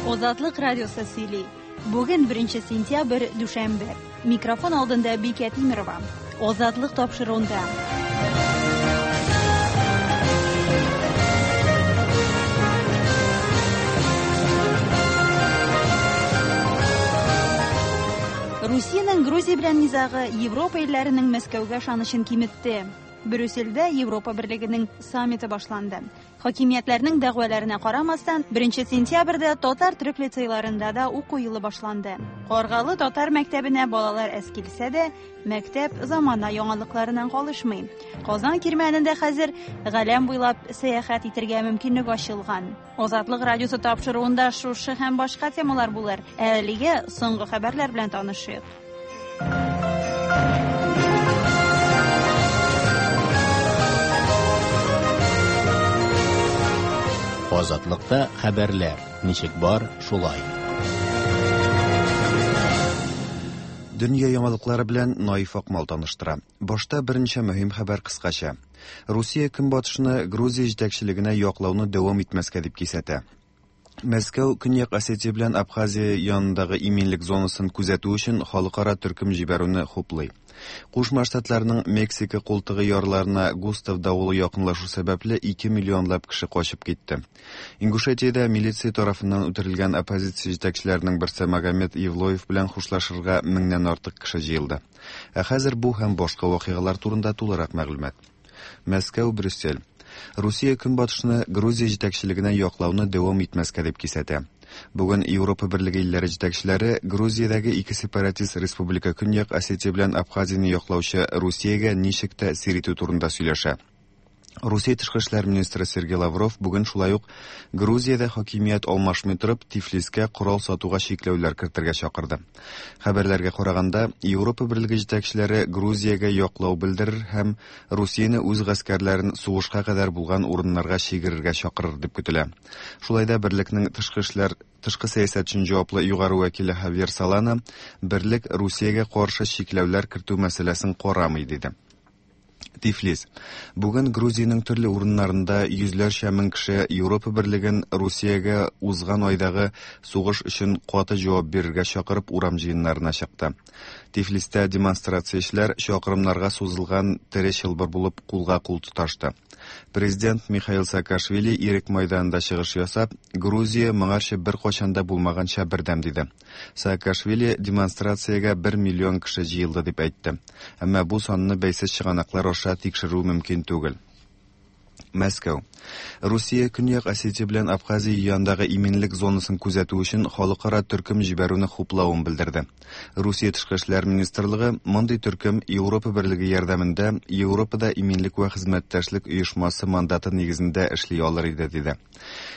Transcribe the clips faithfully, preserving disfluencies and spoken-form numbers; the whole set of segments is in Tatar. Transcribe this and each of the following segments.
Азатлык радиосы сөйли. Бүген беренче сентябрь, дүшәмбе. Микрофон алдында Бикә Тимерова. Азатлык тапшыруында. Русиянең Грузия белән низагы Европа илләренең Мәскәүгә ышанычын киметте. Брюссельдә Европа Берлегенең саммиты башланды. Хакимиятләрнең дәгъваларына карамастан, беренче сентябрьдә татар төрек лицейларында да уку елы башланды. Каргалы татар мәктәбенә балалар әз килсә дә, мәктәп замана яңалыкларыннан калышмый. Казан кирмәнендә хәзер галәм буйлап сәяхәт итәргә мөмкинлек ачылган. Азатлык радиосы тапшыруында шушы һәм башка темалар булыр. Ә әлегә соңгы хәбәрләр белән танышыйк. Азатлыкта хәбәрләр ничек бар, шулай. Дөнья яңалыклары белән Наиф Акмал таныштыра. Башта берничә мөһим хәбәр кыскача. Русия көнбатышны Грузия җитәкчелегенә яклауны дәвам итмәскә дип кисәтә. Мәскәү Көньяк Осетия белән Абхазия янындагы иминлек зонасын күзәтү өчен халыкара төркем җибәрүне хуплый. Кушма Штатларның Мексика култыгы ярларына Густав давылы якынлашу сәбәпле ике миллионлап кеше качып китте. Ингушетиядә милиция тарафыннан үтерелгән оппозиция җитәкчеләренең берсе Магомед Евлоев белән хушлашырга меңнән артык кеше җыелды. Ә хәзер бу һәм башка вакыйгалар турында тулырак мәгълүмат. Мәскәү, Брюссель. Русия көнбатышны Грузия җитәкчелегенә яклауны дәвам итмәскә дип кисәтә. Бүген Европа Берлеге илләре җитәкчеләре Грузиядәге ике сепаратист республика Көньяк Осетия белән Абхазияне яклаучы Русиягә ничек тәэсир итү турында сөйләшә. Русия тышкы эшләр министры Сергей Лавров бүген шулай ук Грузиядә хакимият алмашмый торып Тифлискә корал сатуга чикләүләр кертергә чакырды. Хәбәрләргә караганда, Европа Берлеге җитәкчеләре Грузиягә яклау белдерер һәм Русияне үз гаскәрләрен сугышка кадәр булган урыннарга чигерергә чакырыр дип көтелә. Шулай да берлекнең тышкы эшләр тышкы сәясәт өчен җаваплы югары вәкиле Хавьер Солана берлек Русиягә каршы чикләүләр кертү мәсьәләсен карамый диде. Тифлис. Бүген Грузиянең төрле урыннарында йөзләрчә мең кеше Европа Берлеген Русиягә узган айдагы сугыш өчен каты җавап бирергә чакырып урам җыеннарына чыкты. Тифлистә демонстрациячеләр чакрымнарга сузылган тере чылбыр булып кулга кул тоташты. Президент Михаил Саакашвили Ирек майданында чыгыш ясап, Грузия моңарчы бер кайчан да булмаганча бердәм диде. Саакашвили демонстрациягә бер миллион кеше җыелды дип әйтте. Әмма бу санны бәйсез чыганаклар аша тикшерү мөмкин түгел. Мәскәү. Русия Көньяк Осетия белән Абхазия янындагы иминлек зонасын күзәтү өчен халыкара төркем җибәрүне хуплавын белдерде. Русия тышкы эшләр министрлыгы мондый төркем Европа Берлеге ярдәмендә Европада иминлек вә хезмәттәшлек оешмасы мандаты нигезендә эшли алыр иде диде.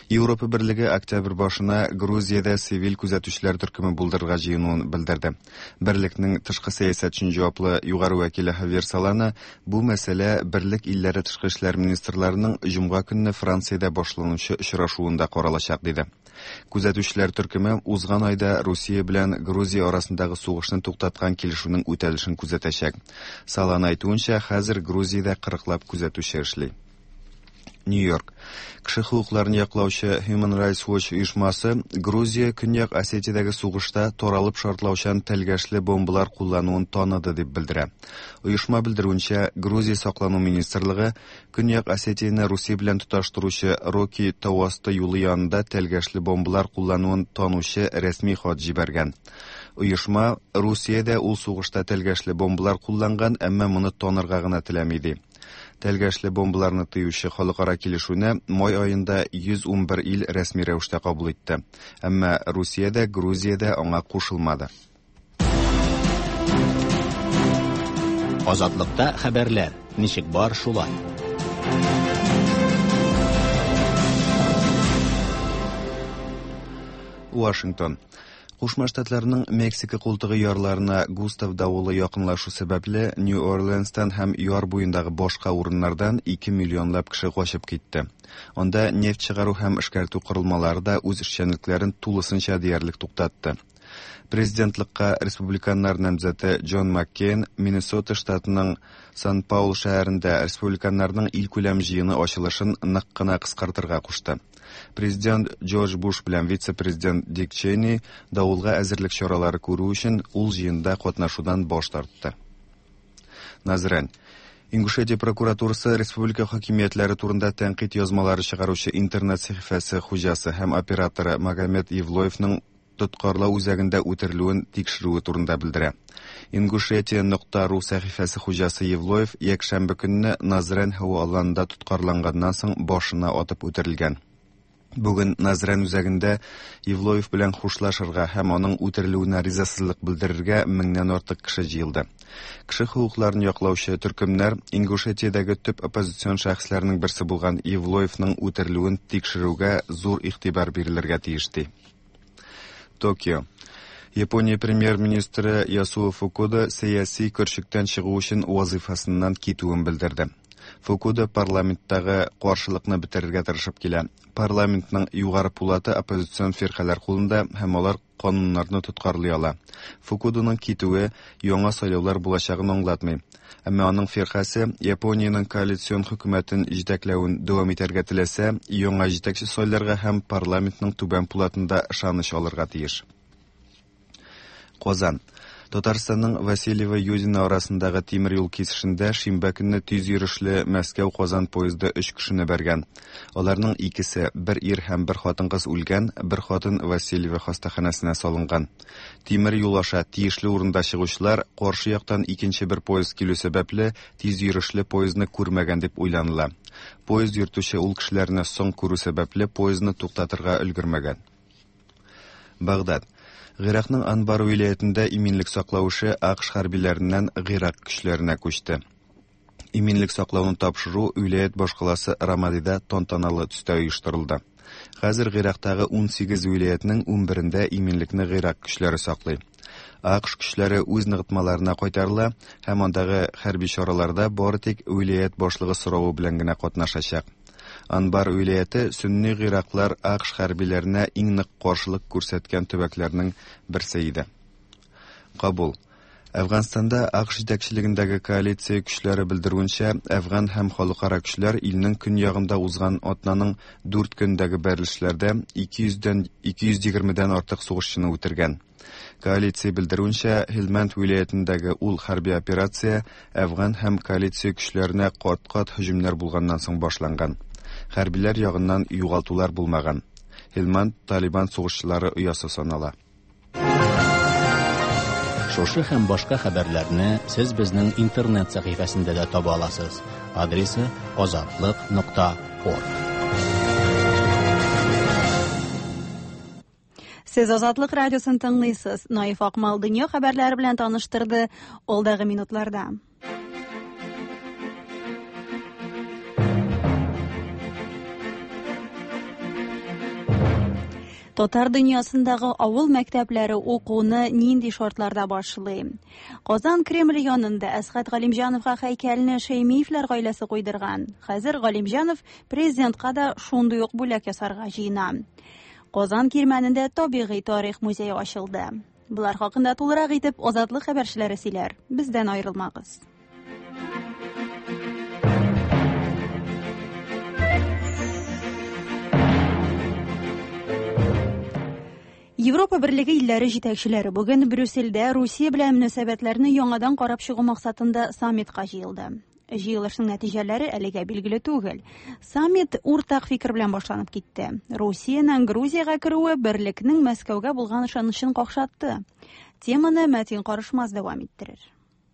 Европа Берлеге октябрь башына Грузиядә цивиль күзәтүчеләр төркеме булдырырга җыенуын белдерде. Берлекнең тышкы сәясәт өчен җаваплы югары вәкиле Хавьер Солана бу мәсьәлә берлек илләре тышкы эшләр министрларының җомга көнне Франциядә башланучы очрашуында каралачак диде. Күзәтүчеләр төркеме узган айда Русия белән Грузия арасындагы сугышны туктаткан килешүнең үтәлешен күзәтәчәк. Солана әйтүенчә, хәзер Грузиядә кырыклап күзәтүче эшли. Нью-Йорк. Кеше хокукларын яклаучы Human Rights Watch оешмасы Грузия Көньяк Осетиядәге сугышта таралып шартлаучан тәлгәшле бомбалар куллануын таныды дип белдерә. Оешма белдерүенчә, Грузия саклану министрлыгы Көньяк Осетияне Русия белән тоташтыручы Роки тау асты юлы янында тәлгәшле бомбалар куллануын танучы рәсми хат җибәргән. Оешма Русиядә ул сугышта тәлгәшле бомбалар кулланган, әмма моны танырга гына теләми ди. Тәлгәшле бомбаларны тыючы халыкара килешүне май аенда йөз ун бер ил рәсми рәвештә кабул итте. Әмма Русиядә, Грузиядә аңа кушылмады. Азатлыкта хәбәрләр ничек бар, шулай. Вашингтон. Кушма Штатларның Мексика култыгы ярларына Густав давылы якынлашу сәбәпле Нью-Орлеанстан һәм яр буендагы башка урыннардан ике миллионлап кеше качып китте. Анда нефть чыгару һәм эшкәртү корылмалары да үз эшчәнлекләрен тулысынча диярлек туктатты. Президентлыкка республиканнар намзәте Джон Маккейн Миннесота штатының Сан-Паул шәһәрендә республиканнарның илкүләм җыены ачылышын нык кына кыскартырга кушты. Президент Джордж Буш белән вице-президент Дик Чейни давылга әзерлек чаралары күрү өчен ул җыенда катнашудан баш тартты. Назрань. Ингушетия прокуратурасы республика хакимиятләре турында тәнкыйть язмалары чыгаручы интернет сәхифәсе хуҗасы һәм операторы Магомед Евлоевның тоткарлау үзәгендә үтерелүен тикшерүе турында белдерә. Ингушетия нокта ру сәхифәсе хуҗасы Евлоев якшәмбе көнне Назрань һава аланында тоткарланганнан соң башына атып үтерелгән. Бүген Назрань үзәгендә Евлоев белән хушлашырга һәм аның үтерелүенә ризасызлык белдерергә меңнән артык кеше җыелды. Кеше хокукларын яклаучы төркемнәр Ингушетиядәге төп оппозицион шәхесләрнең берсе булган Евлоевның үтерелүен тикшерүгә зур игътибар бирелергә тиеш ди. Токио. Япония премьер-министры Ясуо Фукуда сәяси көрчектән чыгу өчен вазифасыннан китүен белдерде. Фукуда парламенттагы каршылыкны бетерергә тырышып килә. Парламентның югары пулаты оппозицион фиркаләр кулында һәм алар кануннарны тоткарлый ала. Фукуданың китүе яңа сайлаулар булачагын аңлатмый. Әмма аның фиркасе Япониянең коалицион хөкүмәтен җитәкләвен дәвам итәргә теләсә, яңа җитәкче сайларга һәм парламентның түбән пулатында ышаныч алырга тиеш. Казан. Татарстанның Васильево-Юдино арасындагы тимер юл кисешендә шимбә көнне тиз йөрешле Мәскәү-Казан поезды өч кешене бәргән. Аларның икесе, бер ир һәм бер хатын-кыз үлгән, бер хатын Васильево хастаханәсенә салынган. Тимер юл аша тиешле урында чыгучылар каршы яктан икенче бер поезд килү сәбәпле тиз йөрешле поездны күрмәгән дип уйланыла. Поезд йөртүче ул кешеләрне соң күрү сәбәпле поездны туктатырга өлгермәгән. Багдад. Гыйракның Анбар вилаятендә иминлек саклау эше АКШ хәрбиләреннән Гыйрак көчләренә күчте. Иминлек саклауны тапшыру вилаят башкаласы Рамадида тантаналы төстә оештырылды. Хәзер Гыйрактагы ун сигез вилаятның ун берендә иминлекне Гыйрак көчләре саклый. АКШ көчләре үз ныгытмаларына кайтарыла һәм андагы хәрби чараларда бары тик вилаят башлыгы соравы белән генә катнашачак. Анбар вилаяты сөнни гыйраклар АКШ хәрбиләренә иң нык каршылык күрсәткән төбәкләрнең берсе иде. Кабул. Әфганстанда АКШ җитәкчелегендәге коалиция көчләре белдерүенчә, әфган һәм халыкара көчләр илнең көньягында узган атнаның дүрт көндәге бәрелешләрдә ике йөздән ике йөз егермедән артык сугышчыны үтергән. Коалиция белдерүенчә, Һилмәнд вилаятендәге ул хәрби операция әфган һәм коалиция көчләренә кат-кат һөҗүмнәр булганнан соң башланган. Хәрбиләр ягыннан югалтулар булмаган. Һилмәнд Талибан сугышчылары оясы санала. Шушы һәм башка хәбәрләрне сез безнең интернет сәхифәсендә дә таба аласыз. Адресы азатлык нокта орг. Сез Азатлык радиосын тыңлыйсыз. Наиф Акмал дөнья хәбәрләре белән таныштырды алдагы минутларда. Татар дөньясындагы авыл мәктәпләре укуны нинди шартларда башлый? Казан Кремль янында Әсхәт Галимҗановга һәйкәлне Шәймиевләр гаиләсе куйдырган. Хәзер Галимҗанов президентка да шундый ук бүләк ясарга җыена. Казан Кирмәнендә табигый тарих музее ачылды. Булар хакында тулырак итеп Азатлык хәбәрчеләре сөйләр. Бездән аерылмагыз. Европа Берлеге илләре җитәкчеләре бүген Брюссельдә Русия белән мөнәсәбәтләрне яңадан карап чыгу максатында саммитка җыелды. Җыелышның нәтиҗәләре әлегә билгеле түгел. Саммит уртак фикер белән башланып китте. Русиянең Грузиягә керүе берлекнең Мәскәүгә булган ышанычын какшатты. Теманы Мәтин Карышмаз дәвам иттерер.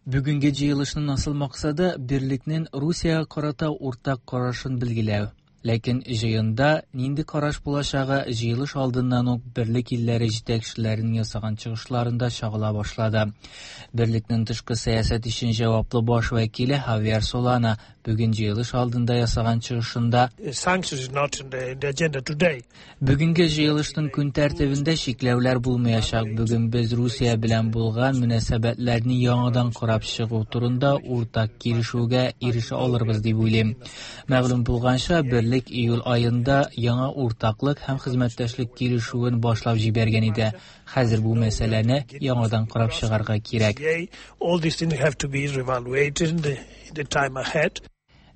Бүгенге җыелышның асыл максаты берлекнең Русиягә карата уртак карашын билгеләү. Ләкин җыенда нинди караш булачагы җыелыш алдыннан ук берлек илләре җитәкчеләренең ясаган чыгышларында чагыла башлады. Берлекнең тышкы сәясәт өчен җаваплы баш вәкиле Хавьер Солана бүген җыелыш алдында ясаган чыгышында Бүгенге җыелышның көн тәртибендә чикләүләр булмаячак. Бүген без Русия белән булган мөнәсәбәтләрне яңадан карап чыгу турында уртак килешүгә ирешә алырбыз дип уйлыйм. Мәгълүм булганча, берлек Берлек июль аенда яңа уртаклык һәм хезмәттәшлек килешүен башлап җибәргән иде. Хәзер бу мәсьәләне яңадан карап чыгарга кирәк.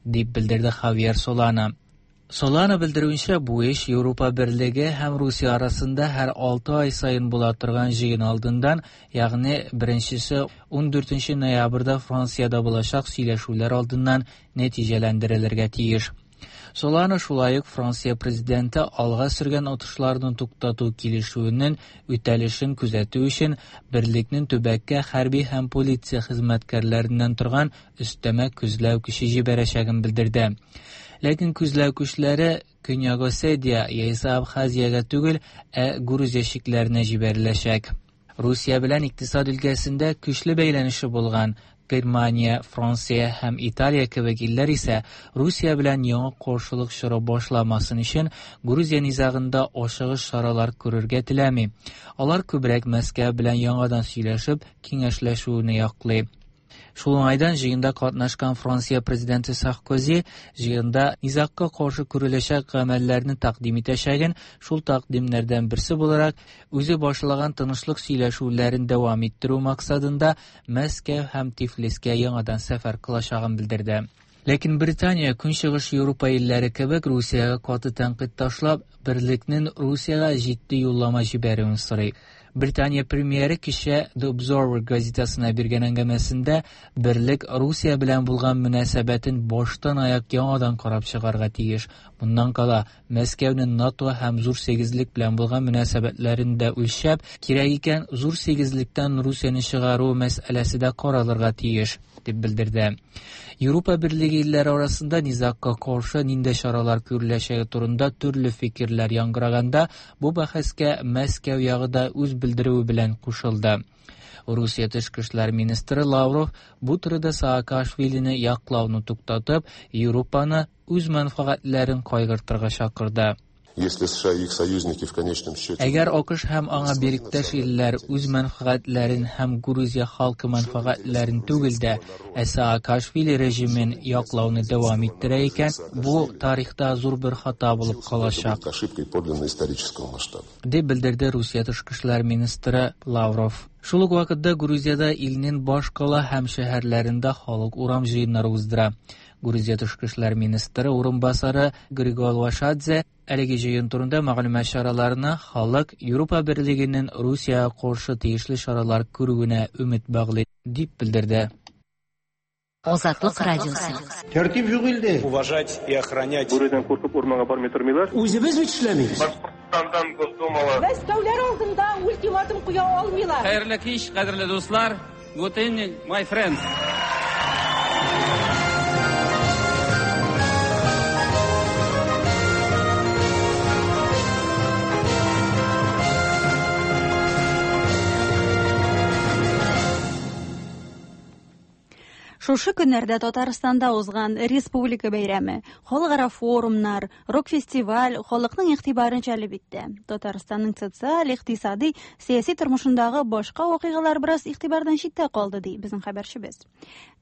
Дип белдерде Хавьер Солана. Солана белдерүенчә, бу эш Европа Берлеге һәм Русия арасында һәр алты ай саен була торган җыен алдыннан, ягъни беренчесе ун дүртенче ноябрьдә Франциядә булачак сөйләшүләр алдыннан нәтиҗәләндерелергә тиеш. Солана шулай ук Франция президенты алга сөргән отышларны туктату килешүенең үтәлешен күзәтү өчен берлекнең төбәккә хәрби һәм полиция хезмәткәрләреннән торган өстәмә күзләү көче җибәрәчәген белдерде. Ләкин күзләү көчләре Көньяк Осетия яисә Абхазиягә түгел, ә Грузия чикләренә җибәреләчәк. Русия белән икътисад өлкәсендә көчле бәйләнеше булган Германия, Франция һәм Италия кебек илләр исә Русия белән яңа каршылык чоры башламасын өчен Грузия низагында ашыгыч чаралар күрергә теләми. Алар күбрәк Мәскәү белән яңадан сөйләшеп, киңәшләшүне яклый. Шул уңайдан җыенда катнашкан Франция президенты Саркози җыенда низагка каршы күреләчәк гамәлләрне тәкъдим итәчәген, шул тәкъдимнәрдән берсе буларак үзе башлаган тынычлык сөйләшүләрен дәвам иттерү максатында Мәскәү һәм Тифлискә яңадан сәфәр кылачагын белдерде. Ләкин Британия Көнчыгыш Европа илләре кебек Русиягә каты тәнкыйть ташлап, берлекнең Русиягә җитди юллама җибәрүен сорый. Британия премьеры кичә The Observer газетасына биргән әңгәмәсендә берлек Русия белән булган мөнәсәбәтен баштан аяк яңадан карап чыгарга тиеш. Моннан кала Мәскәүнең НАТО һәм Зур Сигезлек белән булган мөнәсәбәтләрен дә үлчәп, кирәк икән Зур Сигезлектән Русияне чыгару мәсьәләсе дә каралырга тиеш, дип белдерде. Европа Берлеге илләре арасында низагка каршы нинди чаралар күреләчәге турында төрле фикерләр яңгыраганда, бу бәхәскә Мәскәү ягы да үз белдерүе белән кушылды. Русия тышкы эшләр министры Лавров бу турыда Саакашвилине яклауны туктатып, Европаны үз мәнфәгатьләрен кайгыртырга чакырды. Если США и их союзники в конечном счете... Әгәр АКШ һәм аңа беректәш илләр үз мәнфәгатьләрен һәм Грузия халкы мәнфәгатьләрен түгел дә, ә Саакашвили режимын яклауны дәвам иттерә икән, бу тарихта зур бер хата булып калачак. Ошибкой подлинно исторического масштаба. Дип белдерде Русия тышкы эшләр министры Лавров. Шул ук вакытта Грузиядә илнең баш кала һәм шәһәрләрендә халык урам җыеннары уздыра. Грузия тышкы эшләр министры урынбасары Григол Вашадзе әлеге җыен турында мәгълүмат чараларына халык Европа Берлегенең Русиягә каршы тиешле чаралар күрүенә өмет баглый дип белдерде. Азатлык радиосы. Тәртип юк илдә. Уважать и охранять. Бүредән куркып урманга бармый тормыйлар. Үзебез бит эшләмибез. Башкортстандан Госдумага. Мәскәүләр алдында ультиматум куя алмыйлар. Хәерле кич, кадерле дуслар. Good evening, my friends. Шушы көннәрдә Татарстанда узган республика бәйрәме, халыкара форумнар, рок-фестиваль халыкның игътибарын җәлеп итте. Татарстанның социаль, икътисади, сәяси тормышындагы башка вакыйгалар бераз игътибардан читтә калды, ди безнең хәбәрчебез.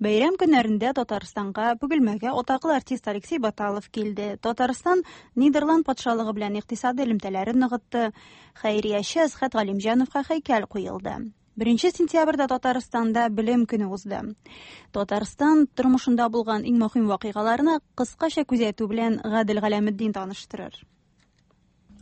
Бәйрәм көннәрендә Татарстанга Бөгелмәгә атаклы артист Алексей Баталов килде. Татарстан Нидерланд патшалыгы белән икътисади элемтәләрен ныгытты. Хәйрияче Әсхәт Галимҗановка һәйкәл куелды. Беренче сентябрьдә Татарстанда белем көне узды. Татарстан тормышында булган иң мөһим вакыйгаларны кыскача күзәтү белән Гадел Галәметдин таныштырыр.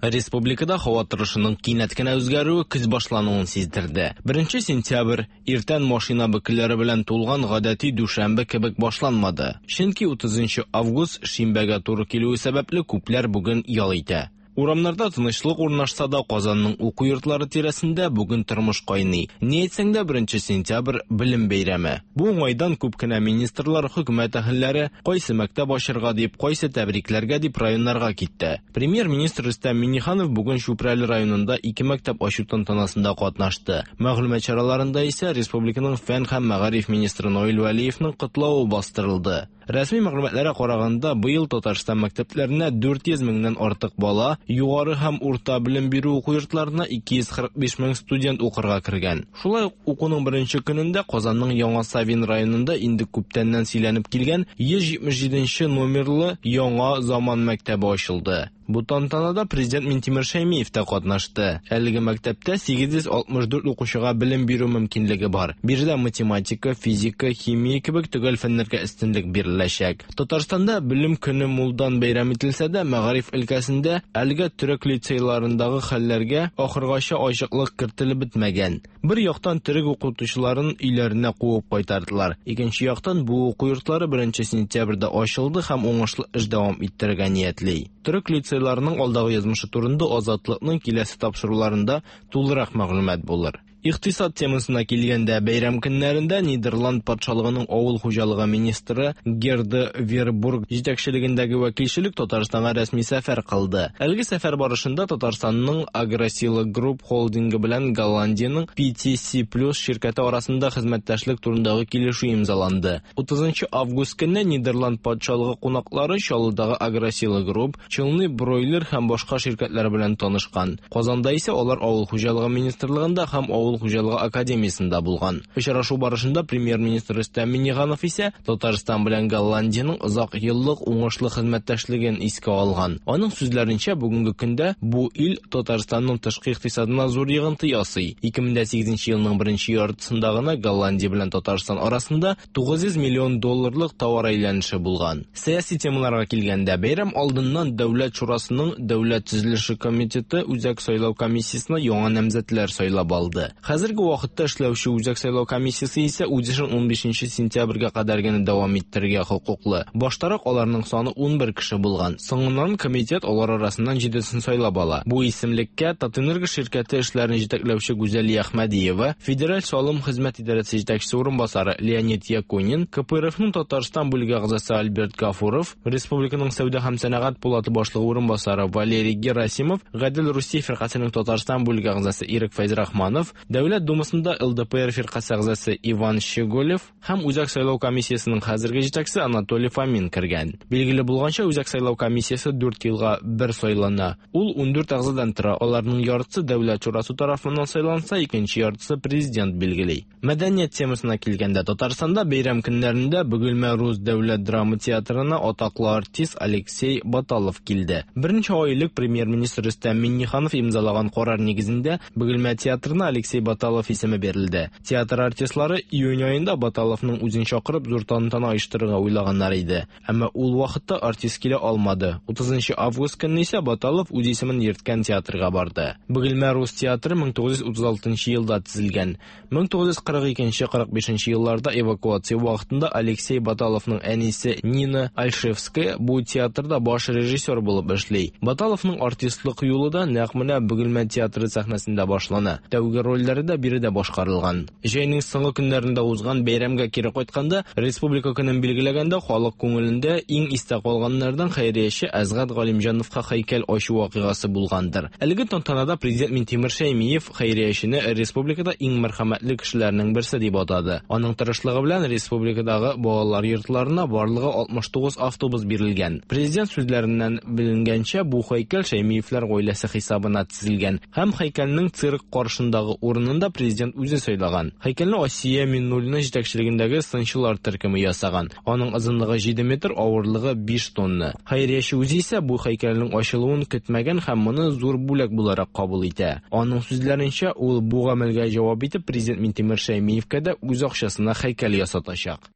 Республикада һава торышының кинәт кенә үзгәрүе көз башлануын сиздерде. Беренче сентябрь иртән машина бөкеләре белән тулган гадәти дүшәмбе кебек башланмады. Чөнки утызынчы август шимбәгә туры килүе сәбәпле күпләр бүген ял итә. Урамнарда тынычлык урнашса да, Казанның уку йортлары тирәсендә бүген тормыш кайный. Ни әйтсәң дә, беренче сентябрь белем бәйрәме. Бу уңайдан күп кенә министрлар, хөкүмәт әһелләре кайсы мәктәп ачырга дип, кайсы тәбрикләргә дип районнарга китте. Премьер-министр Рөстәм Миңнеханов бүген Чүпрәле районында ике мәктәп ачу тантанасында катнашты. Мәгълүмат чараларында исә республиканың фән һәм мәгариф министры Наил Вәлиевның котлавы бастырылды. Рәсми мәгълүматларга караганда, быел Татарстан мәктәпләренә дүрт йөз меңнән артык бала Югары һәм урта белем бирү уку йортларына ике йөз кырык биш мең студент укырга кергән. Шулай ук укуның беренче көнендә Казанның Яңа Савин районында инде күптәннән сөйләнеп килгән йөз җитмеш җиденче номерлы Яңа заман мәктәбе ачылды. Бу тантанада президент Минтимер Шәймиев тә катнашты. Әлеге мәктәптә сигез йөз алтмыш дүрт укучыга белем бирү мөмкинлеге бар. Биредә математика, физика, химия кебек төгәл фәннәргә өстенлек биреләчәк. Татарстанда белем көне мулдан бәйрәм ителсә дә, мәгариф өлкәсендә әлегә төрек лицейларындагы хәлләргә ахыргача ачыклык кертелеп бетмәгән. Бер яктан төрек укытучыларын өйләренә куып кайтардылар. Икенче яктан бу уку йортлары беренче сентябрьдә ачылды һәм уңышлы эш дәвам иттерергә ниятли. Төрек лицейларының алдагы язмышы турында Азатлыкның киләсе тапшыруларында тулырак мәгълүмат булыр. Икътисад темасына килгәндә, бәйрәм көннәрендә Нидерланд патшалыгының авыл хуҗалыгы министры Герда Вербург җитәкчелегендәге вәкилчелек Татарстанга рәсми сәфәр кылды. Әлеге сәфәр барышында Татарстанның Агросила Group холдингы белән Голландиянең P T C Plus ширкәте арасында хезмәттәшлек турындагы килешү имзаланды. утызынчы август көнне Нидерланд патшалыгы кунаклары Чаллыдагы Агросила Group, Челны Бройлер һәм башка ширкәтләр белән танышкан. Казанда исә алар авыл хуҗалыгы министрлыгында һәм авыл хуҗалыгы академиясендә булган. Очрашу барышында премьер-министр Рөстәм Миңнеханов исә Татарстан белән Голландиянең озак еллык уңышлы хезмәттәшлеген искә алган. Аның сүзләренчә, бүгенге көндә бу ил Татарстанның тышкы икътисадына зур йогынты ясый. ике мең дә сигезенче елның беренче яртысында гына Голландия белән Татарстан арасында тугыз йөз миллион долларлык товар әйләнеше булган. Сәяси темаларга килгәндә, бәйрәм алдыннан Дәүләт Шурасының Дәүләт төзелеше комитеты Үзәк сайлау комиссиясенә яңа намзәтләр сайлап алды. Хәзерге вакытта эшләүче Үзәк сайлау комиссиясе исә үз эшен унбишенче сентябрьгә кадәр генә дәвам иттерергә хокуклы. Баштарак аларның саны унбер кеше булган. Соңыннан комитет алар арасыннан җидесен сайлап ала. Бу исемлеккә Татэнерго ширкәте эшләрен җитәкләүче Гүзәлия Әхмәдиева, Федераль салым хезмәт идарәсе җитәкчесе урынбасары Леонид Якунин, К П Р Фның Татарстан бүлеге әгъзасы Альберт Гафуров, Республиканың сәүдә һәм сәнәгать палаты башлыгы урынбасары Валерий Герасимов, Гадел Русия фиркасының Татарстан бүлеге әгъзасы Ирек Фәйзрахманов, Дәүләт Думасында Л Д П Р фиркасы әгъзасы Иван Щеголев һәм Үзәк сайлау комиссиясенең хәзерге җитәкчесе Анатолий Фомин кергән. Билгеле булганча, Үзәк сайлау комиссиясе дүрт елга бер сайлана. Ул ундүрт әгъзадан тора. Аларның яртысы Дәүләт Шурасы тарафыннан сайланса, икенче яртысы президент билгели. Мәдәният темасына килгәндә, Татарстанда бәйрәм көннәрендә Бөгелмә рус дәүләт драма театрына атаклы артист Алексей Баталов килде. Берничә ай элек премьер-министр Рөстәм Миңнеханов имзалаган карар нигезендә Бөгелмә театрына Алексей Баталов исеме бирелде. Театр артистлары июнь аенда Баталовның үзен чакырып зур тантана оештырырга уйлаганнар иде. Әмма ул вакытта артист килә алмады. утызынчы август көнне исә Баталов үз исемен йөрткән театрга барды. Бөгелмә рус театры мең тугыз йөз утыз алтынчы елда төзелгән. мең тугыз йөз кырык икенче кырык бишенче елларда эвакуация вакытында Алексей Баталовның әнисе Нина Альшевская бу театрда баш режиссер булып эшли. Баталовның артистлык юлы да нәкъ менә Бөгелмә театры сәхнәсендә башлана. Тәүге рольләре дә биредә башкарылган. Җәйнең соңгы көннәрендә узган бәйрәмгә кире кайтканда, Республика көнен билгеләгәндә халык күңелендә иң истә калганнардан хәйрияче Әзгат Галимҗановка һәйкәл ачу вакыйгасы булгандыр. Әлеге тантанада президент Минтимер Шәймиев хәйриячене республикада иң мәрхәмәтле кешеләрнең берсе дип атады. Аның тырышлыгы белән республикадагы балалар йортларына барлыгы алтмыш тугыз автобус бирелгән. Президент сүзләреннән беленгәнчә, бу һәйкәл Шәймиевләр гаиләсе хисабына төзелгән һәм һәйкәлнең цирк каршындагы урынында президент үзе сайлаган. Һәйкәлне Асия Миннуллина җитәкчелегендәге сынчылар төркеме ясаган. Аның озынлыгы җиде метр, авырлыгы биш тонна. Хәйрияче үзе исә бу һәйкәлнең ачылуын көтмәгән һәм моны зур бүләк буларак кабул итә. Аның сүзләренчә, ул бу гамәлгә җавап итеп президент Минтимер Шәймиевкә дә үз акчасына һәйкәл ясатачак.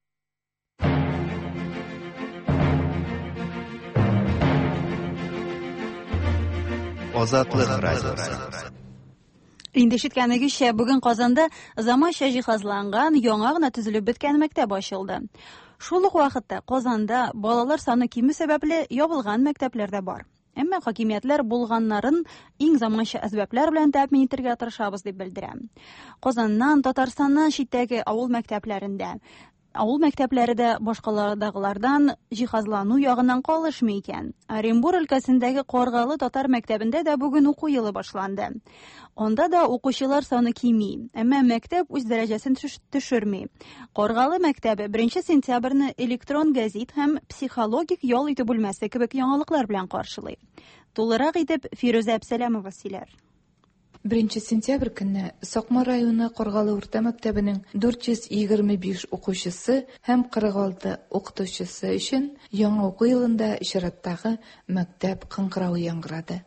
Азатлык радиосы. Инде ишеткәнегезчә, бүген Казанда заманча җиһазланган, яңа гына төзелеп беткән мәктәп ачылды. Шул ук вакытта Казанда балалар саны кимү сәбәпле ябылган мәктәпләр дә бар. Әмма хакимиятләр булганнарын иң заманча әсбаплар белән тәэмин итәргә тырышабыз дип белдерә. Казаннан, Татарстаннан читтәге авыл мәктәпләрендә авыл мәктәпләре дә башкалардагылардан җиһазлану ягыннан калышмый икән. Оренбур өлкәсендәге Каргалы татар мәктәбендә дә бүген уку елы башланды. Анда да укучылар саны кими, әмма мәктәп үз дәрәҗәсен төшерми. Каргалы мәктәбе беренче сентябрьне электрон гәзит һәм психологик ял итү бүлмәсе кебек яңалыклар белән каршылый. Тулырак итеп Фирүзә Әпсәләмова сөйләр. Беренче сентябрь көнне Сакмар районы Каргалы урта мәктәбенең дүрт йөз егерме биш укучысы һәм кырык алты укытучысы өчен яңа уку елында чираттагы мәктәп кыңгыравы яңгырады.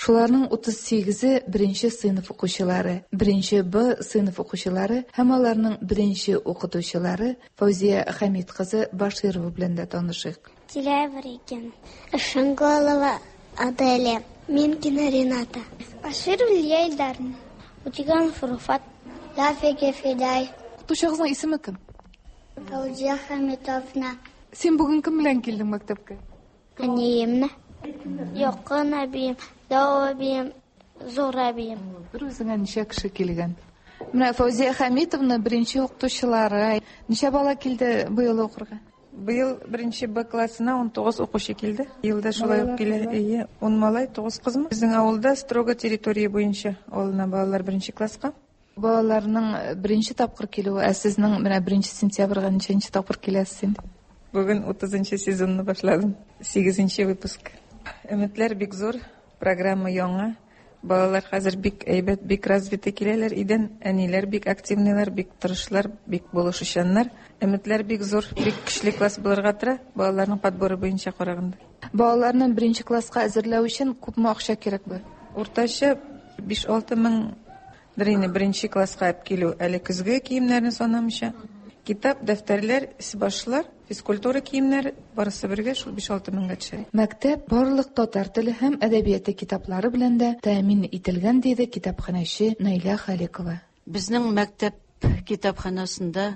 Шуларның утыз сигезе беренче сыйныф укучылары, беренче Б сыйныф укучылары һәм аларның беренче укытучылары Фәүзия Хәмит кызы Баширова белән дә танышыйк. Тилаева Регина, Шанголова Аделя, Минкина Рената, Баширова Лилия Ильдаровна, Утиганов Руфат, Дафиге Фидай. Укытучыгызның исеме кем? Фәүзия Хәмитовна. Син бүген кем белән килдең мәктәпкә? Әниемне. Якын әбием, дәү әбием, зур әбием. Бер үзеңә ничә кеше килгән? Менә Фәүзия Хәмитовна беренче укытучылары. Ничә бала килде быел укырга? Быел беренче Б классына ун тугыз укучы килде. Елда шулай ук килә. Әйе, ун малай, тугыз кызмы? Безнең авылда строго территория буенча алына балалар беренче класска. Балаларның беренче тапкыр килүе, ә сезнең менә беренче сентябрьгә ничәнче тапкыр киләсез инде? Бүген утызынчы сезонны башладым. Сигезенче выпуск. Өметләр бик зур, программа яңа. Балалар хәзер бик әйбәт, бик развиты киләләр идән. Әниләр бик активныйлар, бик тырышлар, бик булышучаннар. Өметләр бик зур, бик көчле класс булырга тора, балаларның подборы буенча караганда. Балаларны беренче класска әзерләү өчен күпме акча кирәк бу? Уртача биш-алты меңдер инде беренче класска алып килү, әле көзге киемнәрне санамыйча. Китап, дәфтәрләр, башлар, физкультура киемнәре барысы бергә шул биш-алты меңгә төшә. Мәктәп барлык татар теле һәм әдәбияты китаплары белән дә тәэмин ителгән, диде китапханәче Наилә Халикова. Безнең мәктәп китапханәсендә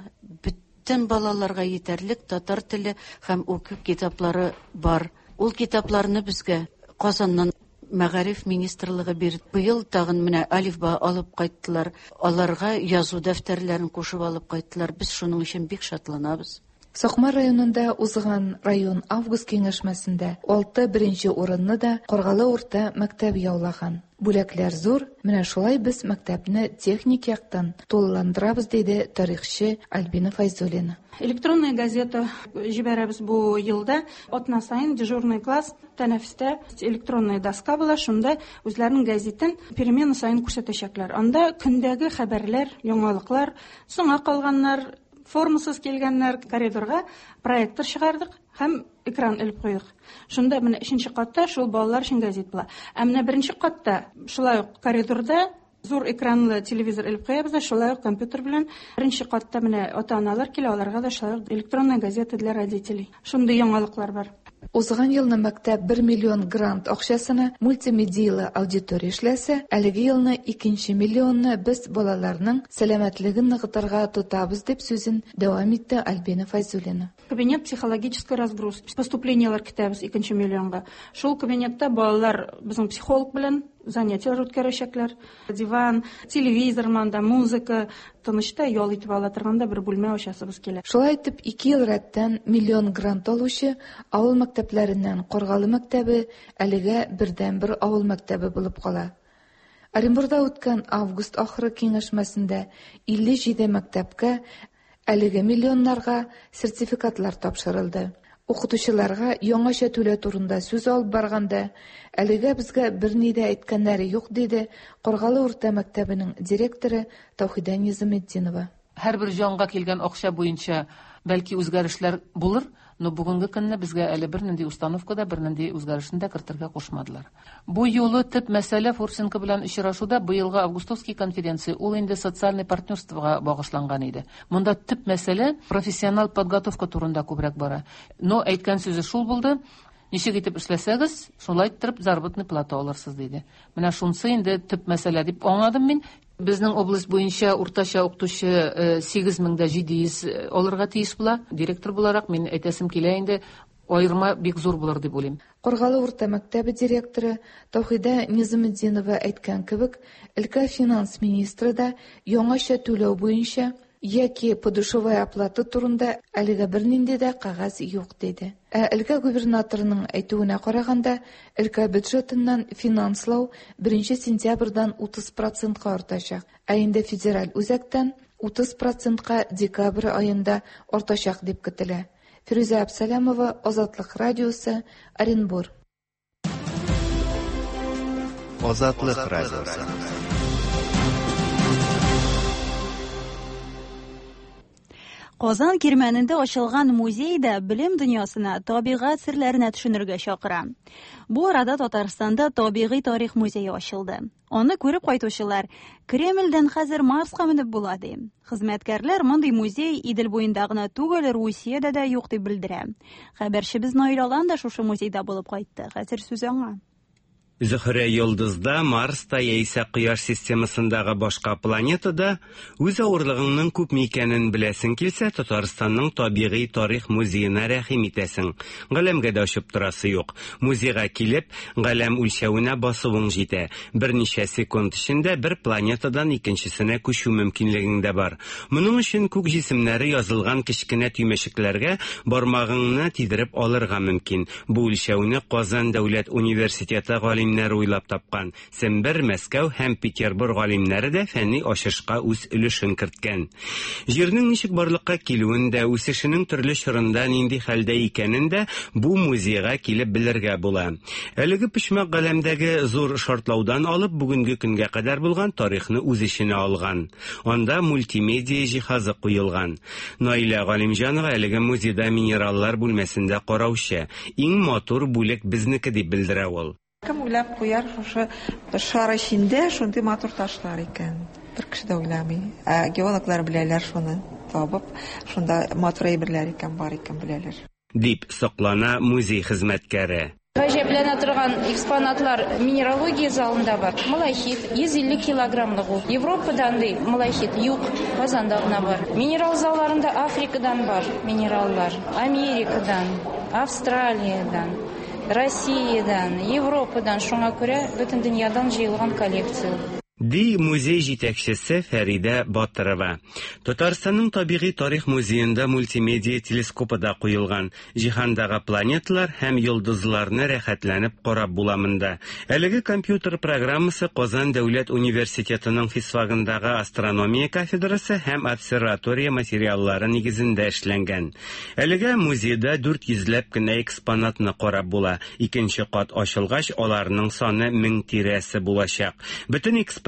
бөтен балаларга етәрлек татар теле һәм уку китаплары бар. Ул китапларны безгә Казаннан Мәгариф министрлыгы бирде. Быел тагын менә алифба алып кайттылар. Аларга язу дәфтәрләрен кушып алып кайттылар. Без шуның өчен бик шатланабыз. Сакмар районында узган район август киңәшмәсендә алты беренче урынны да Каргалы урта мәктәбе яулаган. Бүләкләр зур, менә шулай без мәктәпне техник яктан тулыландырабыз, диде тарихчы Альбина Файзуллина. Электронная газета җибәрәбез бу елда. Атна саен дежурный класс тәнәфестә электронная доска була, шунда үзләренең газетын перемена саен күрсәтәчәкләр. Анда көндәге хәбәрләр, яңалыклар, соңа калганнар, формасыз килгәннәр, коридорга проектор чыгардык һәм экран элеп куйдык. Шунда менә өченче катта шул балалар өчен газет була. Ә менә беренче катта шулай ук коридорда зур экранлы телевизор элеп куябыз да, шулай ук компьютер белән. Беренче катта менә ата-аналар килә, аларга да шулай ук электронная газета для родителей. Шундый яңалыклар бар. Узган елны мәктәп бер миллион грант акчасына мультимедиялы аудитория эшләсә, әлеге елны икенче миллионны без балаларның сәламәтлеген ныгытырга тотабыз, дип сүзен дәвам итте Альбина Файзуллина. Кабинет психологической разгрузки. Поступлениелар көтәбез икенче миллионга. Шул кабинетта балалар безнең психолог белән занятиялар үткәрәчәкләр. Диван, телевизор монда, музыка, тынычта ял итеп ала торган да бер бүлмә ачасыбыз килә. Шулай итеп, ике ел рәттән миллион грант алучы авыл мәктәпләреннән Каргалы мәктәбе әлегә бердәнбер авыл мәктәбе булып кала. Оренбурда үткән август ахыры киңәшмәсендә илле җиде мәктәпкә әлеге миллионнарга сертификатлар тапшырылды. Укытучыларга яңача түләү турында сүз алып барганда, әлегә безгә берни дә әйткәннәре юк, диде Каргалы урта мәктәбенең директоры Таухида Низаметдинова. Һәрбер җанга килгән акча буенча бәлки үзгәрешләр булыр, но бүгенге көнне безгә әле бернинди установка да, бернинди үзгәрешне дә кертергә кушмадылар. Бу юлы төп мәсьәлә Фурсенко белән очрашуда быелгы августовский конференция, ул инде социальный партнерствога багышланган иде. Монда төп мәсьәлә профессионал подготовка турында күбрәк бара. Но әйткән сүзе шул булды: ничек итеп эшләсәгез, шулай итеп заработный плата алырсыз, диде. Менә шунысы инде төп мәсьәлә дип аңладым мин. Безнең область буенча уртача укытучы сигез мең дә җиде йөз алырга тиеш була. Директор буларак мин әйтәсем килә инде, аерма бик зур булыр дип уйлыйм. Каргалы урта мәктәбе директоры Таухида Низаметдинова әйткән кебек, өлкә финанс министры да яңача түләү буенча яки подушевая оплата турында әлегә бернинди дә кәгазь юк, диде. Ә өлкә губернаторының әйтүенә караганда, өлкә бюджетыннан финанслау беренче сентябрьдән утыз процентка артачак, ә инде федераль үзәктән утыз процентка декабрь аенда артачак дип көтелә. Фирүзә Абсалямова, Азатлык радиосы, Оренбур. Азатлык радиосы. Казан Кирмәнендә ачылган музей да белем дөньясына, табигать серләренә төшенергә чакыра. Бу арада Татарстанда табигый тарих музее ачылды. Аны күреп кайтучылар Кремльдән хәзер Марска менеп була ди. Хезмәткәрләр мондый музей Идел буенда гына түгел, Русиядә дә юк дип белдерә. Хәбәрчебез Наил Алан да шушы музейда булып кайтты. Хәзер сүз аңа. Зөһрә йолдызда, Марста яисә Кояш системасындагы башка планетада үз авырлыгыңның күпме икәнен беләсең килсә, Татарстанның табигый тарих музеена рәхим итәсең. Галәмгә дә очып торасы юк. Музейга килеп, галәм үлчәвенә басуың җитә. Берничә секунд эчендә бер планетадан икенчесенә күчү мөмкинлегең дә бар. Моның өчен күк җисемнәре язылган кечкенә төймәчекләргә бармагыңны тидереп алырга мөмкин. Бу үлчәүне Казан дәүләт университеты галимнәре уйлап тапкан. Сембер, Мәскәү һәм Петербург галимнәре дә фәнни ачышка үз өлешен керткән. Җирнең ничек барлыкка килүен дә, үсешенең төрле чорында нинди хәлдә икәнен дә бу музейга килеп белергә була. Әлеге почмак галәмдәге зур шартлаудан алып бүгенге көнгә кадәр булган тарихны үз эченә алган. Анда мультимедиа җиһазы куелган. Наилә Галимҗанова әлеге музейда минераллар бүлмәсендә караучы. Иң матур бүлек безнеке дип белдерә ул. Кем уйлап куяр шушы шар эчендә шундый матур ташлар икән? Бер кеше дә уйламый. Ә геологлар беләләр шуны табып, шунда матур әйберләр икән, бар икән беләләр. Дип соклана музей хезмәткәре. Гаҗәпләнә торган экспонатлар минералогия залында бар. Малахит йөз илле килограммлык ул. Европада андый малахит юк, Казанда гына бар. Минерал залларында Африкадан бар минераллар, Америкадан, Австралиядан, Россиядан, Европадан, шуңа күрә бөтен дөньядан җыелган коллекция. Ди музей җитәкчесе Фәридә Батырова. Татарстанның табигый тарих музеенда мультимедиа телескопы да куелган. Җиһандагы планеталар һәм йолдызларны рәхәтләнеп карап була монда. Әлеге компьютер программасы Казан дәүләт университетының физфагындагы астрономия кафедрасы һәм обсерватория материаллары нигезендә эшләнгән. Әлегә музейда дүрт йөзләп кенә экспонатны карап була. Икенче кат ачылгач, аларның саны мең тирәсе булачак. Бөтен экспозиция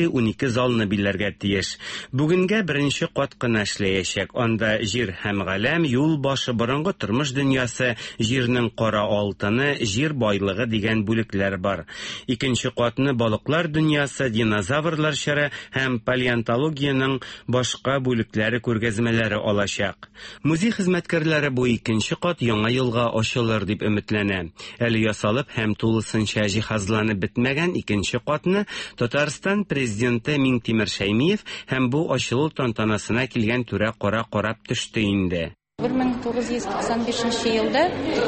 унике залны биләргә тиеш. Бүгенгә беренче кат кына эшләячәк. Анда җир һәм галәм, юл башы, борынгы тормыш дөньясы, җирнең кара алтыны, җир байлыгы дигән бүлекләр бар. Икенче катны балыклар дөньясы, динозаврлар чоры һәм палеонтологиянең башка бүлекләре күргәзмәләре алачак. Музей хезмәткәрләре бу икенче кат яңа елга ачылыр дип өметләнә. Әле ясалып һәм тулысынча җиһазланып бетмәгән икенче катны Татарстан президенты Миңтимер Шәймиев һәм бу ачылу тантанасына килгән түрә кара карап төште инде. бер мең тугыз йөз туксан бишенче елда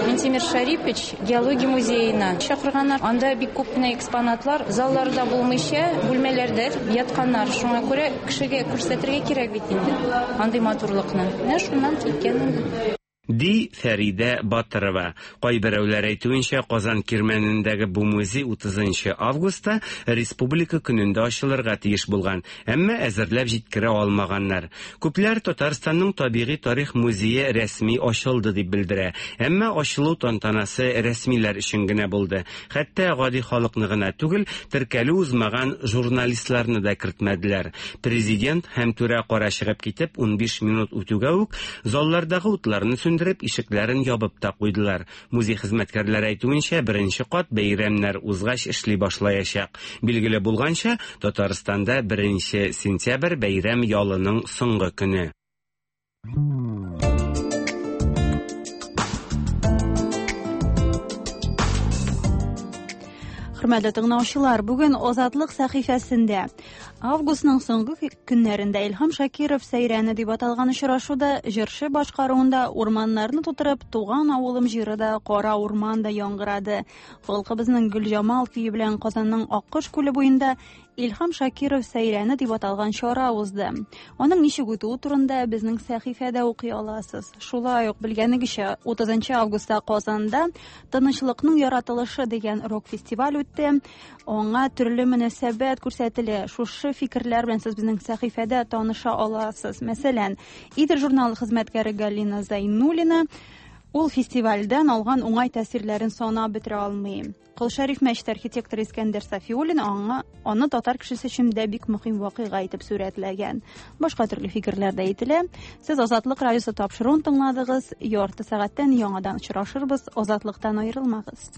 Минтимер Шарипович геология музеена чакырганнар. Анда бик күп кенә экспонатлар залларда булмыйча, бүлмәләрдә ятканнар. Шуңа күрә кешегә күрсәтергә кирәк бит инде андый матурлыкны. Менә шуннан киткән инде. Ди Фәридә Батырова. Кайберәүләр әйтүенчә, Казан Кирмәнендәге бу музей утызынчы августта Республика көнендә ачылырга тиеш булган, әмма әзерләп җиткерә алмаганнар. Күпләр Татарстанның табигый тарих музее рәсми ачылды дип белдерә. Әмма ачылу тантанасы рәсмиләр өчен генә булды. Хәтта гади халыкны гына түгел, теркәлү узмаган журналистларны да кертмәделәр. Президент һәм түрә кара чыгып китеп, унбиш минут үтүгә үк заллардагы утларны сүндереп, ишекләрен ябып та куйдылар. Музей хезмәткәрләре әйтүенчә, беренче кат бәйрәмнәр узгач эшли башлаячак. Билгеле булганча, Татарстанда беренче сентябрь бәйрәм ялының соңгы көне. Хөрмәтле тыңлаучылар, бүген Азатлык сәхифәсендә августның соңгы көннәрендә Илһам Шакиров сәйрәне дип аталган очрашуда җырчы башкаруында урманнарны тутырып туган авылым җыры да, кара урман да яңгырады. Халкыбызның Гөлҗамал көе белән Казанның Аккош күле буенда Илһам Шакиров сәйрәне дип аталган чара узды. Аның ничек үтүе турында безнең сәхифәдә укый аласыз. Шулай ук белгәнегезчә, утызынчы августта Казанда Тынычлыкның яратылышы дигән рок-фестиваль үтте. Аңа төрле мөнәсәбәт күрсәтелә. Шушы фикерләр белән сез безнең сәхифәдә таныша аласыз. Мәсәлән, Идел журналы хезмәткәре Галина Зайнуллина ул фестивальдән алган уңай тәэсирләрен санап бетерә алмый. Кол Шәриф мәчете архитекторы Искәндәр Сафиуллин аңа аны татар кешесе өчен дә бик мөһим вакыйга итеп сурәтләгән. Башка төрле фикерләр дә әйтелә. Сез Азатлык радиосы тапшыруын тыңладыгыз. Ярты сәгатьтән яңадан очрашырбыз. Азатлыктан аерылмагыз.